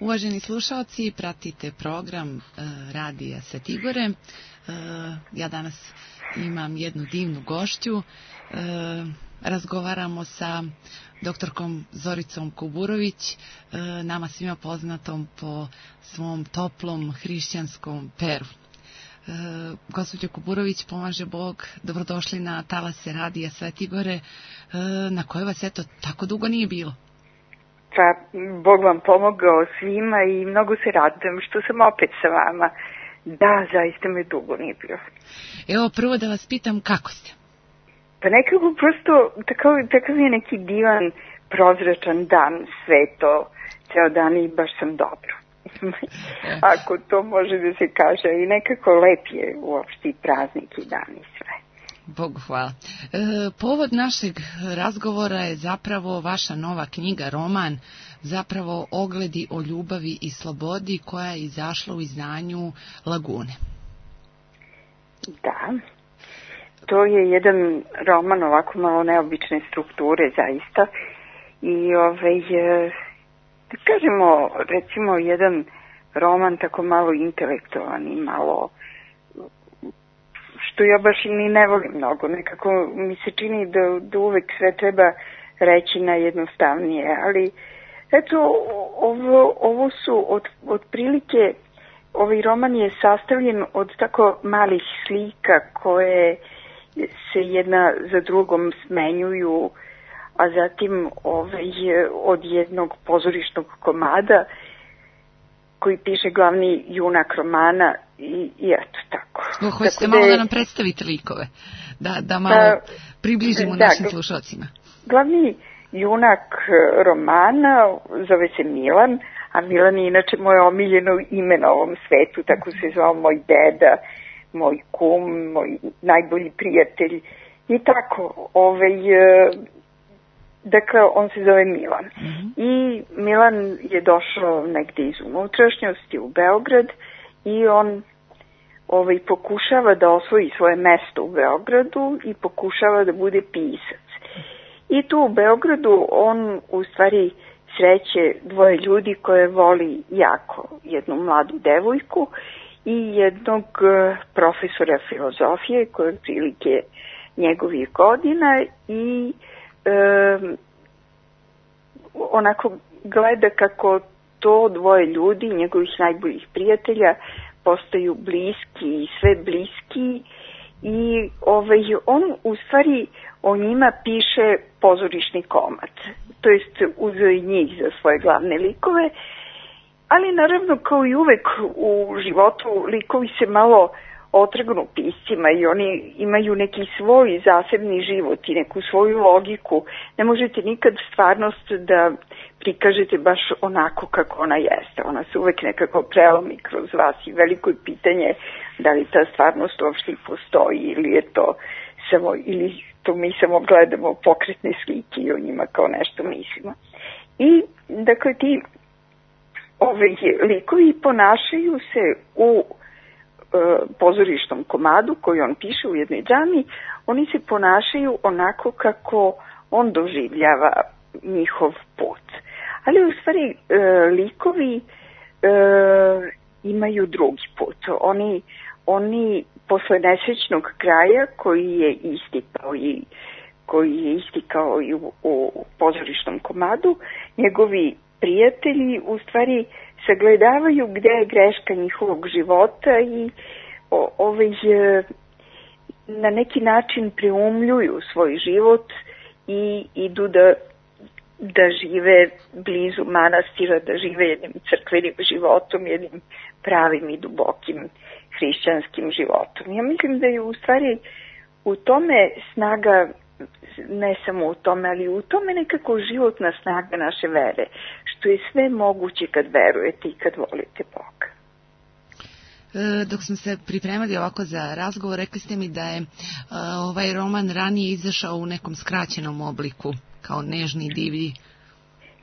Uvaženi slušalci, pratite program Radija Svetigore. Ja danas imam jednu divnu gošću. Razgovaramo sa doktorkom Zoricom Kuburović, nama svima poznatom po svom toplom hrišćanskom peru. Gospođo Kuburović, pomaže Bog, dobrodošli na talase Radija Svetigore, na koje vas eto tako dugo nije bilo. Pa, Bog vam pomogao svima i mnogo se radujem što sam opet sa vama. Da, zaista me dugo nije bilo. Evo, prvo da vas pitam, kako ste? Pa nekako prosto, takav je neki divan, prozračan dan, sveto, ceo dan i baš sam dobro. Ako to može da se kaže, i nekako lep je uopšte i praznik i dan i sve. Bogu hvala. Povod našeg razgovora je zapravo vaša nova knjiga, roman, zapravo Ogledi o ljubavi i slobodi, koja je izašla u izdanju Lagune. Da, to je jedan roman ovako malo neobične strukture zaista i da kažemo recimo jedan roman tako malo intelektualan i malo, što ja baš i ni ne volim mnogo. Nekako mi se čini da uvek sve treba reći najjednostavnije, ali eto, ovo su otprilike, ovaj roman je sastavljen od tako malih slika koje se jedna za drugom smenjuju, a zatim od jednog pozorišnog komada koji piše glavni junak romana i eto tako. Hoćete malo da nam predstavite likove, da malo približimo našim slušalcima. Glavni junak romana zove se Milan, a Milan je inače moje omiljeno ime na ovom svetu, tako se zvao moj deda, moj kum, moj najbolji prijatelj i tako. Dakle, on se zove Milan. I Milan je došao negde iz unutrašnjosti u Beograd i on pokušava da osvoji svoje mesto u Beogradu i pokušava da bude pisac. I tu u Beogradu on u stvari sreće dvoje ljudi koje voli jako, jednu mladu devojku i jednog profesora filozofije koji je prilike njegovih godina i onako gleda kako to dvoje ljudi, njegovih najboljih prijatelja, postaju bliski i sve bliski i on u stvari o njima piše pozorišni komad, to jest uzeo i njih za svoje glavne likove, ali naravno kao i uvek u životu likovi se malo otrgnu piscima i oni imaju neki svoj zasebni život i neku svoju logiku. Ne možete nikad stvarnost da prikažete baš onako kako ona jeste. Ona se uvek nekako prelomi kroz vas i veliko je pitanje da li ta stvarnost uopšte postoji ili je to samo, ili to mi samo gledamo pokretne slike i o njima kao nešto mislimo. I dakle ti likovi ponašaju se u pozorišnom komadu koji on piše u jednoj džami, oni se ponašaju onako kako on doživljava njihov put. Ali u stvari likovi imaju drugi put. Oni posle nesrećnog kraja koji je istikao i u pozorišnom komadu, njegovi prijatelji u stvari sagledavaju gde je greška njihovog života i na neki način preumljuju svoj život i idu da žive blizu manastira, da žive jednim crkvenim životom, jednim pravim i dubokim hrišćanskim životom. Ja mislim da je u stvari u tome snaga, ne samo u tome, ali u tome nekako životna snaga naše vere, što je sve moguće kad verujete i kad volite Boga. Dok smo se pripremali ovako za razgovor, rekli ste mi da je ovaj roman ranije izašao u nekom skraćenom obliku, kao Nežni i divlji.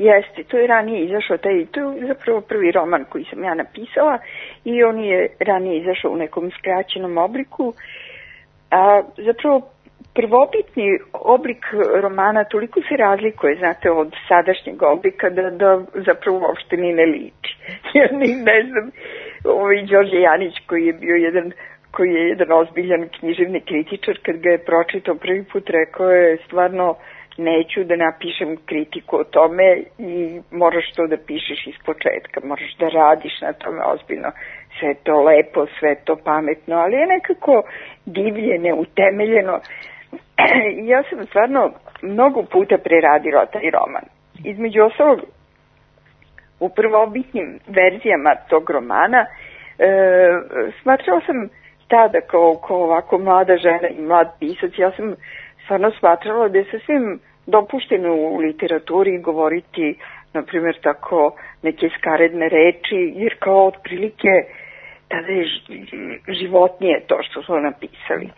Jeste, to je ranije izašao, to je zapravo prvi roman koji sam ja napisala i on je ranije izašao u nekom skraćenom obliku, a zapravo prvobitni oblik romana toliko se razlikuje, znate, od sadašnjeg oblika da zapravo uopšte ni ne liči. Ja ne znam, Đorđe Janić koji je jedan ozbiljan književni kritičar, kad ga je pročitao prvi put, rekao je stvarno neću da napišem kritiku o tome i moraš to da pišeš iz početka, moraš da radiš na tome ozbiljno, sve to lepo, sve to pametno, ali je nekako divlje, neutemeljeno. Ja sam stvarno mnogo puta preradila taj roman. Između ostalog, u prvobitnim verzijama tog romana smatrala sam tada kao ovako mlada žena i mlad pisac, ja sam stvarno smatrala da je sasvim dopušteno u literaturi govoriti, na primjer, tako neke skaredne reči, jer kao otprilike tada je životnije to što su napisali.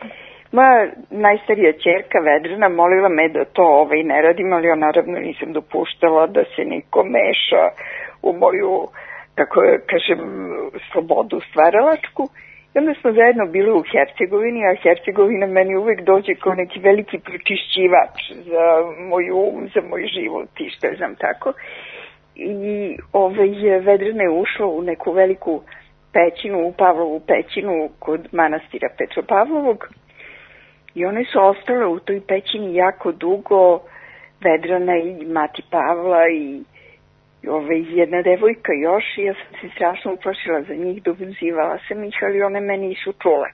Moja najstarija ćerka Vedrana molila me da to ne radim, ali ja naravno nisam dopuštala da se niko meša u moju, tako kažem, slobodu stvaralačku. I onda smo zajedno bili u Hercegovini, a Hercegovina meni uvek dođe kao neki veliki pročišćivač za moj um, za moj život i što je znam tako. I Vedrana je ušla u neku veliku pećinu, u Pavlovu pećinu kod manastira Petropavlovog. I one su ostale u toj pećini jako dugo, Vedrana i mati Pavla i jedna devojka još, i ja sam se strašno uplašila za njih, dozivala sam ih, ali one me nisu čule.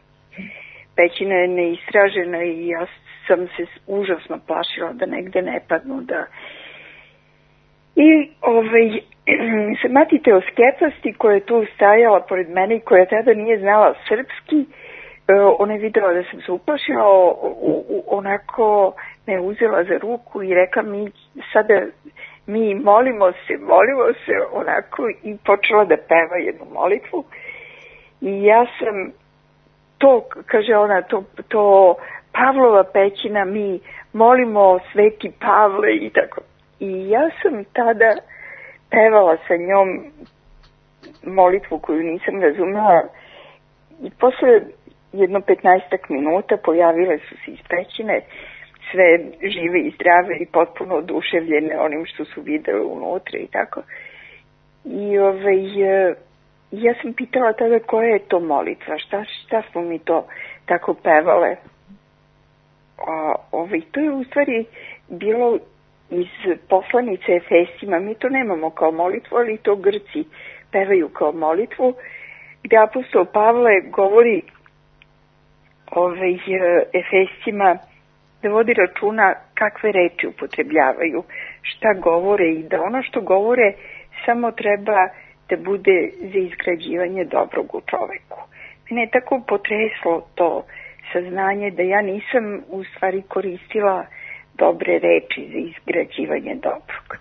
Pećina je neistražena i ja sam se užasno plašila da negde ne padnu. I se mati Teoskepasti koja je tu stajala pored mene i koja tada nije znala srpski, ona je videla da sam se uplašila, onako me uzela za ruku i rekla mi sada, mi molimo se onako, i počela da peva jednu molitvu. I ja sam to, kaže ona, to Pavlova pećina, mi molimo Sveti Pavle i tako. I ja sam tada pevala sa njom molitvu koju nisam razumela i posle jedno 15 minuta pojavile su se iz pećine, sve žive i zdrave i potpuno oduševljene onim što su videle unutra i tako. I ja sam pitala tada koja je to molitva, šta smo mi to tako pevale. To je u stvari bilo iz poslanice Efesima, mi to nemamo kao molitvu, ali to Grci pevaju kao molitvu, gde apostol Pavle govori Efesima da vodi računa kakve reči upotrebljavaju, šta govore i da ono što govore samo treba da bude za izgrađivanje dobrog u čoveku. Mene je tako potreslo to saznanje da ja nisam u stvari koristila dobre reči za izgrađivanje dobrog.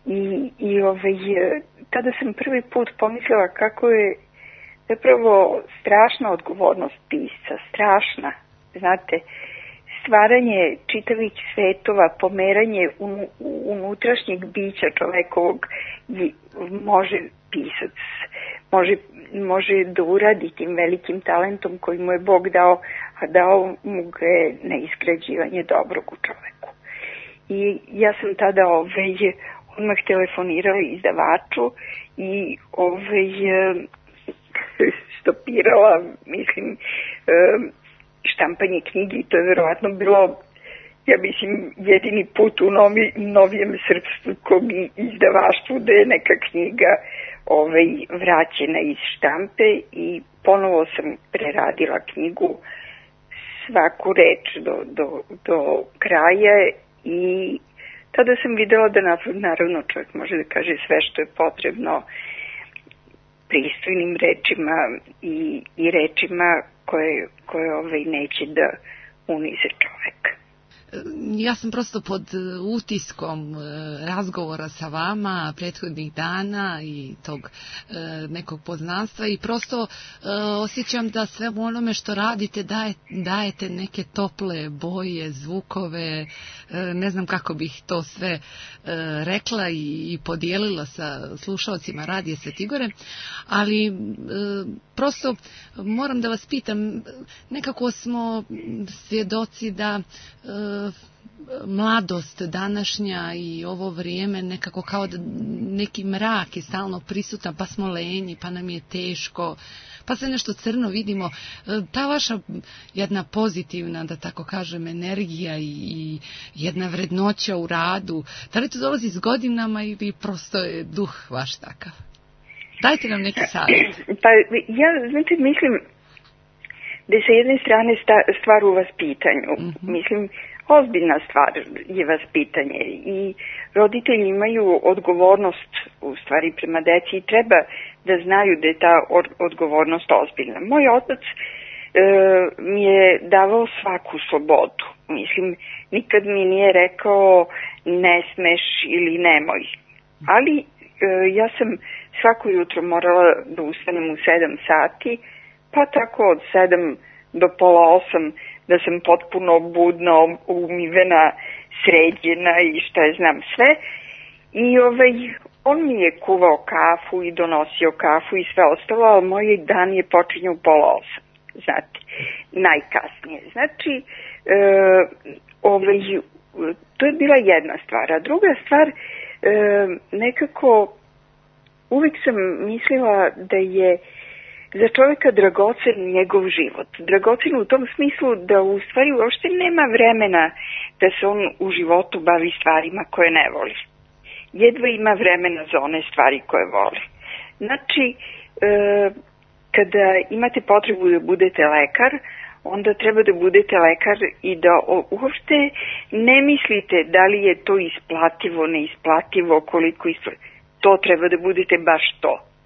I tada sam prvi put pomislila kako je zapravo strašna odgovornost pisca, strašna, znate, stvaranje čitavih svetova, pomeranje unutrašnjeg bića čovekovog može pisac, može da uradi tim velikim talentom koji mu je Bog dao, a dao mu ga je na izgrađivanje dobrog u čoveku. I ja sam tada odmah telefonirala izdavaču i stopirala, mislim, štampanje knjigi. To je verovatno bilo, ja mislim, jedini put u novijem srpskom izdavaštvu da je neka knjiga vraćena iz štampe i ponovo sam preradila knjigu, svaku reč do kraja, i tada sam videla da naravno čovjek može da kaže sve što je potrebno pristojnim rečima i rečima koje neće da unize čoveka. ja sam prosto pod utiskom razgovora sa vama prethodnih dana i tog nekog poznanstva i prosto osjećam da sve onome što radite dajete neke tople boje, zvukove, ne znam kako bih to sve rekla i podijelila sa slušalcima Radija Svetigore, ali prosto moram da vas pitam, nekako smo svjedoci da mladost današnja i ovo vrijeme nekako kao da neki mrak je stalno prisutan, pa smo lenji, pa nam je teško, pa se nešto crno vidimo. Ta vaša jedna pozitivna, da tako kažem, energija i jedna vrednoća u radu, da li to dolazi s godinama ili prosto je duh vaš takav? Dajte nam neki savjet. Pa ja, znači, mislim da je sa jedne strane stvar u vaspitanju. Mislim, ozbiljna stvar je vaspitanje i roditelji imaju odgovornost u stvari prema deci i treba da znaju da je ta odgovornost ozbiljna. Moj otac mi je davao svaku slobodu. Mislim, nikad mi nije rekao ne smeš ili nemoj. Ali ja sam svako jutro morala da ustanem u 7 sati, pa tako od 7 do pola 8 da sam potpuno budna, umivena, sređena i šta je znam sve. I on mi je kuvao kafu i donosio kafu i sve ostalo, ali moj dan je počinjao u pola 8, znate, najkasnije. Znači, to je bila jedna stvar. A druga stvar, nekako uvijek sam mislila da je za čovjeka dragocen njegov život. Dragocen u tom smislu da u stvari uopšte nema vremena da se on u životu bavi stvarima koje ne voli. Jedva ima vremena za one stvari koje voli. Znači, kada imate potrebu da budete lekar, onda treba da budete lekar i da uopšte ne mislite da li je to isplativo, neisplativo, koliko isplativo. To treba da budete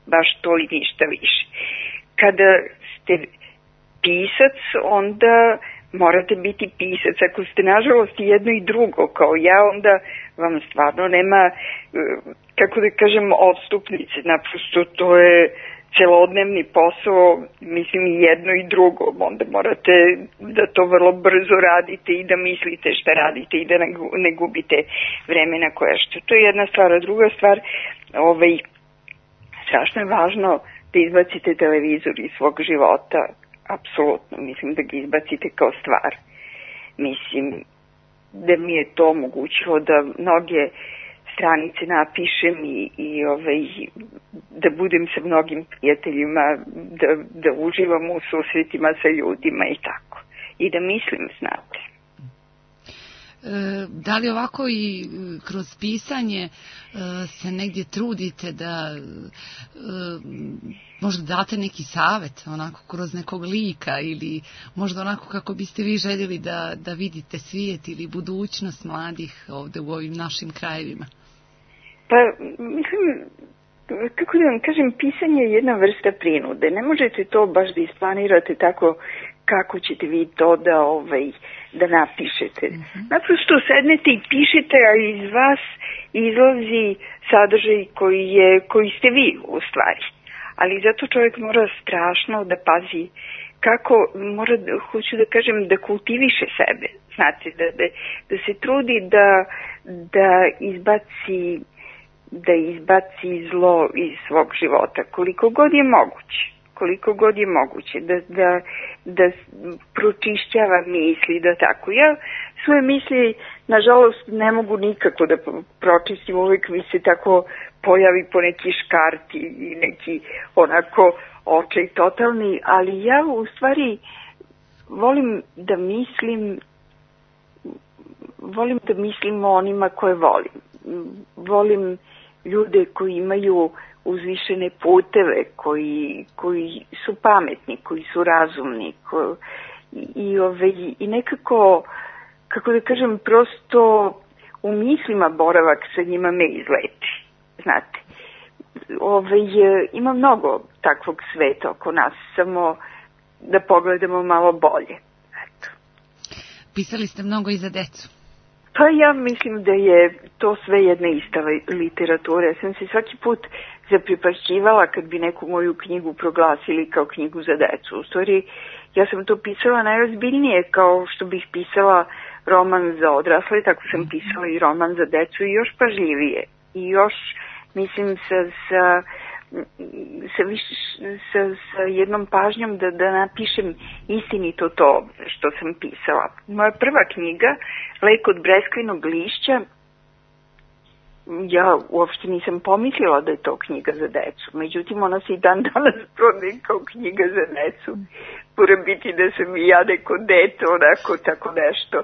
baš to i ništa više. Kada ste pisac, onda morate biti pisac. Ako ste nažalost jedno i drugo kao ja, onda vam stvarno nema, kako da kažem, odstupnice. Naprosto to je celodnevni posao, mislim i jedno i drugo. Onda morate da to vrlo brzo radite i da mislite šta radite i da ne gubite vremena koje što. To je jedna stvar. A druga stvar, strašno je važno da izbacite televizor iz svog života, apsolutno, mislim da ga izbacite kao stvar. Mislim da mi je to omogućilo da mnoge stranice napišem i da budem sa mnogim prijateljima, da uživam u susretima sa ljudima i tako. I da mislim, znate. Da li ovako i kroz pisanje se negdje trudite da možda date neki savjet onako kroz nekog lika ili možda onako kako biste vi željeli da vidite svijet ili budućnost mladih ovdje u ovim našim krajevima? Pa mislim, kako da vam kažem, pisanje je jedna vrsta prinude. Ne možete to baš da isplanirate tako kako ćete vi to da napišete. Naprosto sednete i pišete, a iz vas izlazi sadržaj koji ste vi u stvari. Ali zato čovjek mora strašno da pazi kako, hoću da kažem, da kultiviše sebe. Znate, da se trudi da izbaci zlo iz svog života, koliko god je moguće, da pročišćava misli, da tako. Ja svoje misli, nažalost, ne mogu nikako da pročistim, uvijek mi se tako pojavi po neki škarti i neki onako očaj totalni, ali ja u stvari volim da mislim o onima koje volim. Volim ljude koji imaju uzvišene puteve, koji su pametni, koji su razumni i nekako, kako da kažem, prosto u mislima boravak sa njima me izleti. Znate, ima mnogo takvog sveta oko nas, samo da pogledamo malo bolje. pisali ste mnogo i za decu. Pa ja mislim da je to sve jedna ista literatura. Ja sam se svaki put zapripašćivala kad bi neku moju knjigu proglasili kao knjigu za decu. U stvari, ja sam to pisala najozbiljnije, kao što bih pisala roman za odrasle, tako sam pisala i roman za decu i još pažljivije. I još, mislim, sa jednom pažnjom da napišem istinito to što sam pisala. Moja prva knjiga, Lek od breskvinog lišća, ja uopšte nisam pomislila da je to knjiga za decu. Međutim, ona se i dan danas prodaje kao knjiga za decu. Mora biti da sam i ja neko dete, onako, tako nešto.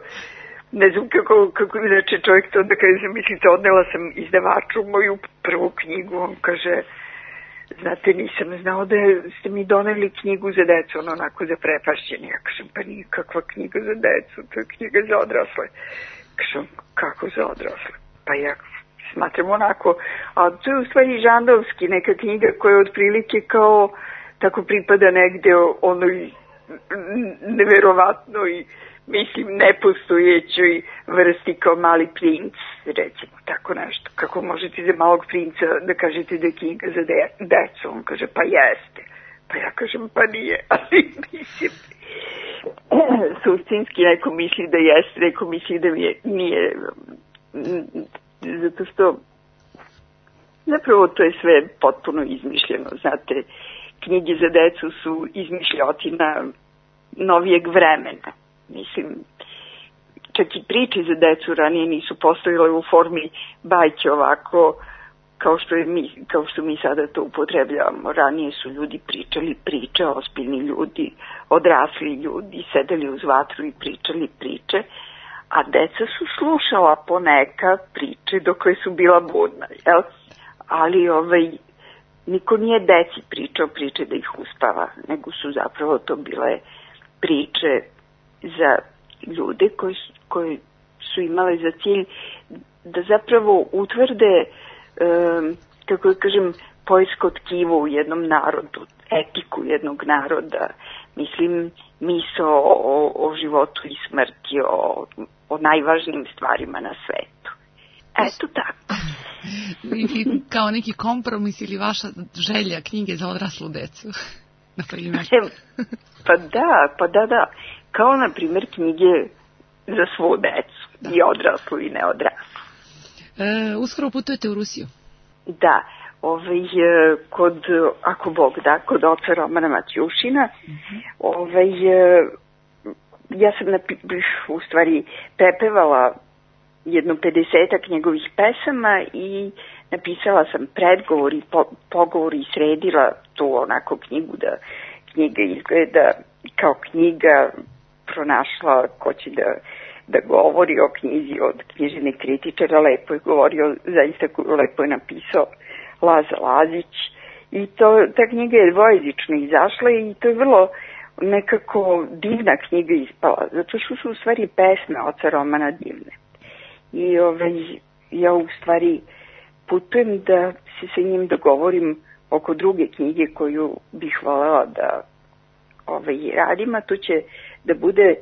Ne znam kako inače čovjek to da kaže, mislite, odnela sam izdavaču moju prvu knjigu, on kaže, znate, nisam znao da ste mi doneli knjigu za decu, ono onako zaprepašćeni. Ja kažem, pa nikakva knjiga za decu, to je knjiga za odrasle. Kažem, kako za odrasle? Pa ja smatram onako, a to je u stvari žandovski, neka knjiga koja je otprilike kao, tako pripada negde onoj neverovatnoj, mislim, nepostojećoj vrsti kao Mali princ, recimo, tako nešto. Kako možete za Malog princa da kažete da je knjiga za decu? On kaže, pa jeste. Pa ja kažem, pa nije, ali mislim, suštinski neko misli da jeste, neko misli da nije, zato što zapravo to je sve potpuno izmišljeno, znate, knjige za decu su izmišljotina novijeg vremena. Mislim, čak i priče za decu ranije nisu postojale u formi bajke ovako kao što mi sada to upotrebljavamo. Ranije su ljudi pričali priče, ozbiljni ljudi, odrasli ljudi, sedeli uz vatru i pričali priče, a deca su slušala poneka priče dok koje su bila budna, jel? Ali niko nije deci pričao priče da ih uspava, nego su zapravo to bile priče za ljude koji su imali za cilj da zapravo utvrde, kako kažem, poljsko tkivo u jednom narodu, etiku jednog naroda, mislim, misao o životu i smrti, o najvažnijim stvarima na svetu. Eto tako. Kao neki kompromis ili vaša želja knjige za odraslu decu, na primjer. Pa da. Kao, na primjer, knjige za svu decu, i odraslu i neodraslu. Uskoro putujete u Rusiju? Da, ako Bog da, kod oca Romana Matjušina, ja sam u stvari prepevala jedno 50-ak njegovih pesama i napisala sam predgovor i pogovor i sredila tu onako knjigu da knjiga izgleda kao knjiga, pronašla ko će da govori o knjizi od književnih kritičara, lepo je govorio, zaista lepo je napisao Laza Lazić i ta knjiga je dvojezično izašla i to je vrlo nekako divna knjiga ispala, zato što su u stvari pesme oca Romana divne. I ja u stvari putujem da se sa njim dogovorim oko druge knjige koju bih voljela da radim, a to će da bude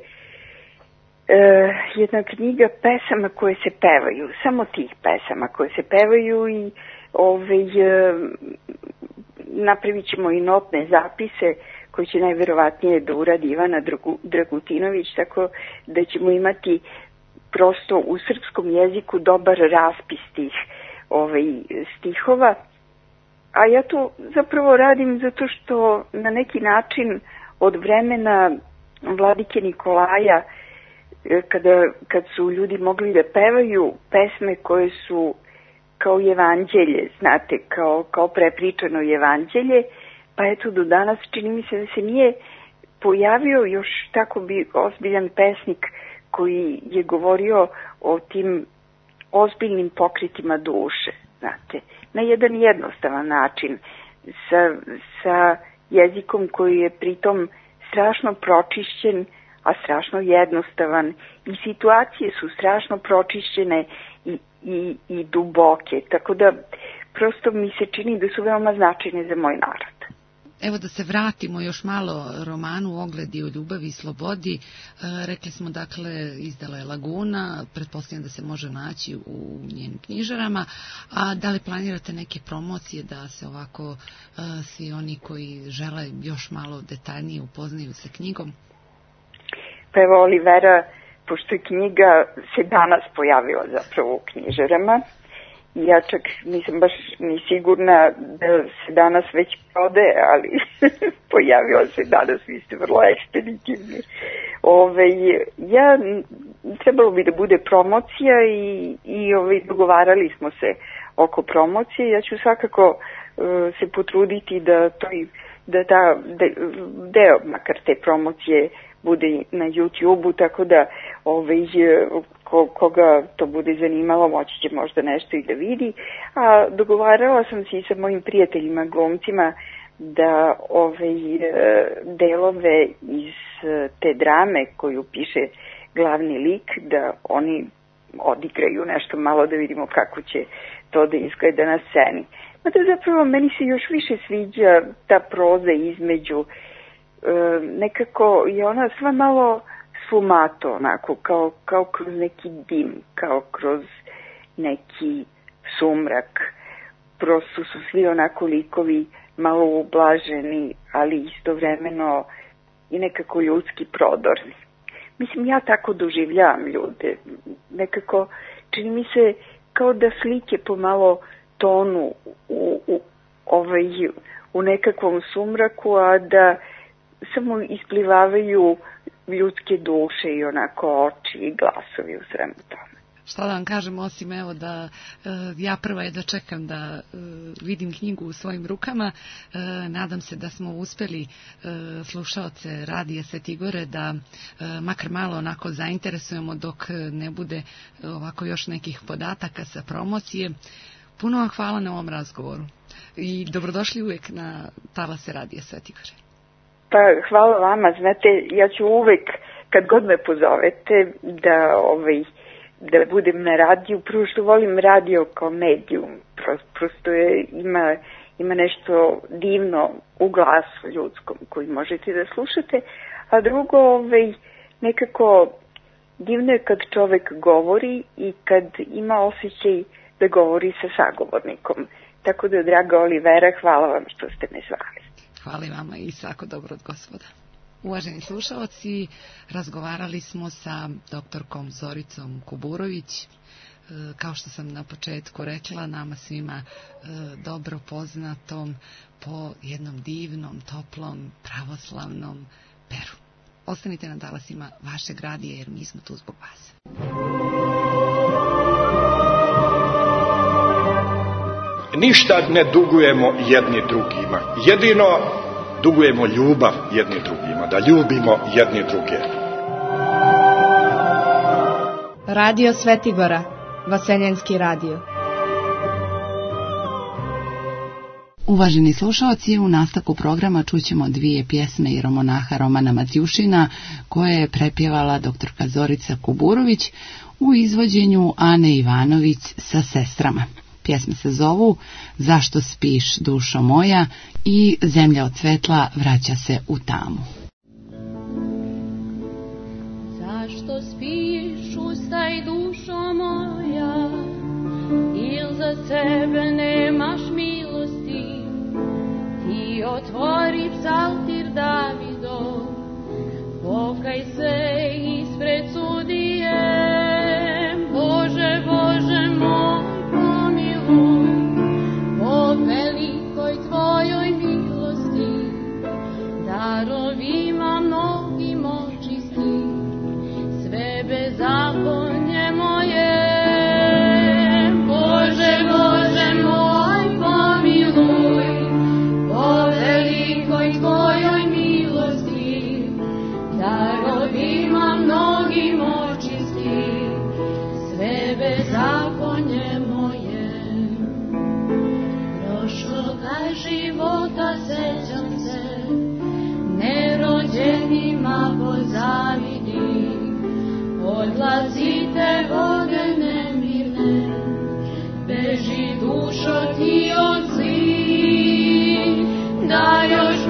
jedna knjiga pesama koje se pevaju, samo tih pesama koje se pevaju i napravit ćemo i notne zapise koje će najverovatnije da uradi Ivana Dragutinović, tako da ćemo imati prosto u srpskom jeziku dobar raspis tih stihova. A ja to zapravo radim zato što na neki način od vremena vladike Nikolaja, kad su ljudi mogli da pevaju pesme koje su kao evanđelje, znate, kao prepričano evanđelje, pa eto do danas čini mi se da se nije pojavio još tako ozbiljan pesnik koji je govorio o tim ozbiljnim pokretima duše, znate, na jedan jednostavan način, sa jezikom koji je pritom strašno pročišćen, a strašno jednostavan i situacije su strašno pročišćene i duboke, tako da prosto mi se čini da su veoma značajne za moj narod. Evo da se vratimo još malo romanu Ogledi o ljubavi i slobodi. Rekli smo, dakle, izdala je Laguna, pretpostavljam da se može naći u njenim knjižarama. A da li planirate neke promocije da se ovako svi oni koji žele još malo detaljnije upoznaju sa knjigom? Pa evo, Olivera, pošto je knjiga se danas pojavila zapravo u knjižarama, ja čak nisam baš ni sigurna da se danas već prodaje, ali pojavila se danas, vi ste vrlo ekspeditivni. Trebalo bi da bude promocija i dogovarali smo se oko promocije. Ja ću svakako se potruditi da deo makar te promocije bude na YouTube-u, tako da koga to bude zanimalo moći će možda nešto i da vidi. A dogovarala sam se i sa mojim prijateljima glumcima da delove iz te drame koju piše glavni lik, da oni odigraju nešto malo, da vidimo kako će to da izgleda na sceni. Mada zapravo meni se još više sviđa ta proza između, nekako je ona sva malo sfumato, onako, kao kroz neki dim, kao kroz neki sumrak. Prosto su svi onako likovi malo ublaženi, ali istovremeno i nekako ljudski prodorni. Mislim, ja tako doživljavam ljude. Nekako čini mi se kao da slike pomalo tonu u nekakvom sumraku, a da samo isplivavaju ljudske duše i onako oči i glasovi u svemu tome. Šta da vam kažem, osim evo da ja prva je da čekam da vidim knjigu u svojim rukama. Nadam se da smo uspeli slušaoce Radija Svetigore da makar malo onako zainteresujemo dok ne bude ovako još nekih podataka sa promocije. Puno vam hvala na ovom razgovoru i dobrodošli uvek na talase Radija Svetigore. Pa hvala vama, znate, ja ću uvek kad god me pozovete da budem na radiju, prvo što volim radio kao medijum, prosto ima nešto divno u glasu ljudskom koji možete da slušate, a drugo, nekako divno je kad čovek govori i kad ima osjećaj da govori sa sagovornikom. Tako da, draga Olivera, hvala vam što ste me zvali. Hvala i vama i svako dobro od Gospoda. Uvaženi slušalci, razgovarali smo sa doktorkom Zoricom Kuburović. Kao što sam na početku rekla, nama svima dobro poznatom po jednom divnom, toplom, pravoslavnom Peru. Ostanite na talasima vašeg radija jer mi smo tu zbog vas. Ništa ne dugujemo jedni drugima. Jedino dugujemo ljubav jedni drugima, da ljubimo jedni druge. Radio Svetigora, Vaseljenski radio. Uvaženi slušalci, u nastavku programa čućemo dvije pjesme iromonaha Romana Matjušina koje je prepjevala doktorka Zorica Kuburović u izvođenju Ane Ivanović sa sestrama. Pjesme se zovu Zašto spiš, dušo moja i Zemlja od svetla vraća se u tamu. Zašto spiš, ustaj, dušo moja, il za sebe nemaš milosti? Ti otvori psaltir Davidov, pokaj se ispred sudije. Bože, Bože moj, po velikoj tvojoj milosti, darovima mnogim očisti, sve bezakonje moje. Bože, Bože moj, pomiluj, po velikoj tvojoj milosti, darovima mnogim očisti, sve bezakonje moje. Života sećam se, nerođenima pozavidi, odlazite vode nemirne, beži dušo ti od zli, da još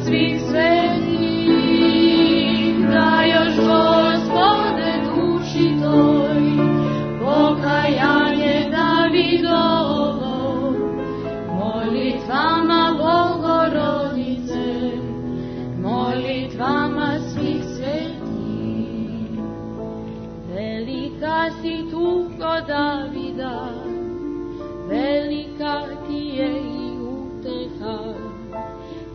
svih svetih, da još Gospode duši toj, pokajanje Davidovo, molitvama Bogorodice, molitvama svih svetih. Velika si tugo Davida, velika ti je i uteha,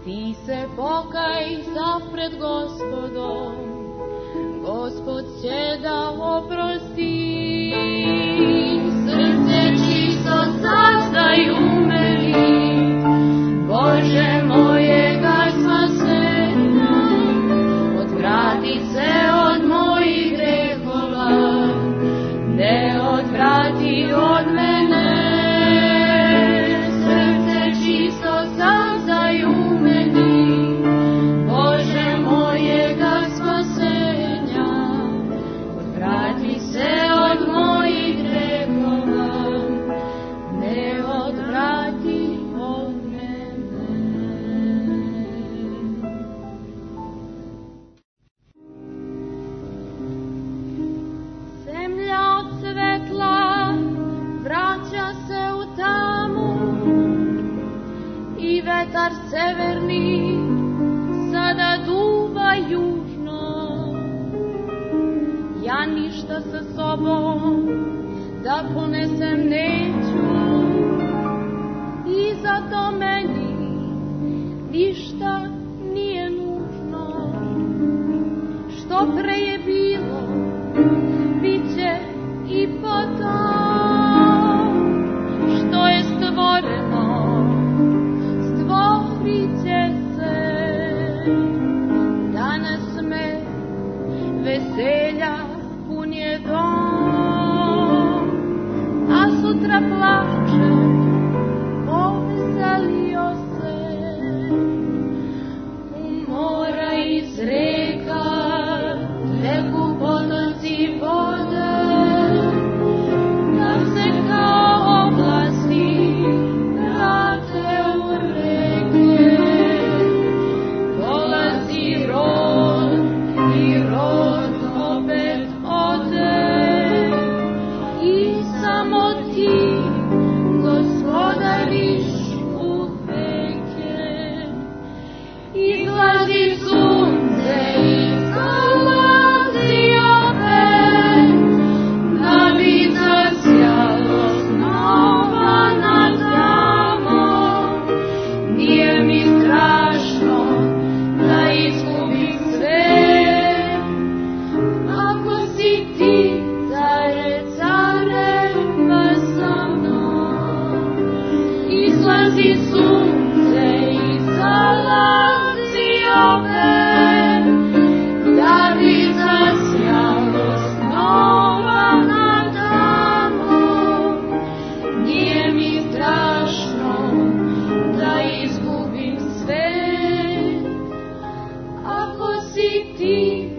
ti se pokaj zapred Gospodom, Gospod će da oprosti. Srce čisto sazdaj umeli, Bože mojega spasenja, odvrati se od mojih grehova, ne odvrati od mene. Srce čisto sazdaj umeli, Bože mojega spasenja, odvrati se od mojih grehova, ne odvrati od mene. Zemlja od svetla vraća se u tamu i vetar severni sada duva južno. Ja ništa sa sobom da ponesem neću i zato meni ništa nije nužno. Što pre je bilo, bit će i potom. Što je stvoreno, stvorit će se. Danas me veselja pun je dom, a sutra plače, poveselio se. U mora iz reka teku potoci vode, da se kao oblasti vrate u reke. Dolazi rod i rod opet ode, i samo ti gospodariš u veke. Izlazi sunce i zalazi opet, da bi zasjalo znova nad damom. Nije mi strašno da izgubim sve, ako si ti, care careva sa mnom. Izlazi sunce i zalazi opet, da bi zasjalo znova nad damom. Nije mi strašno da izgubim sve, ako si ti,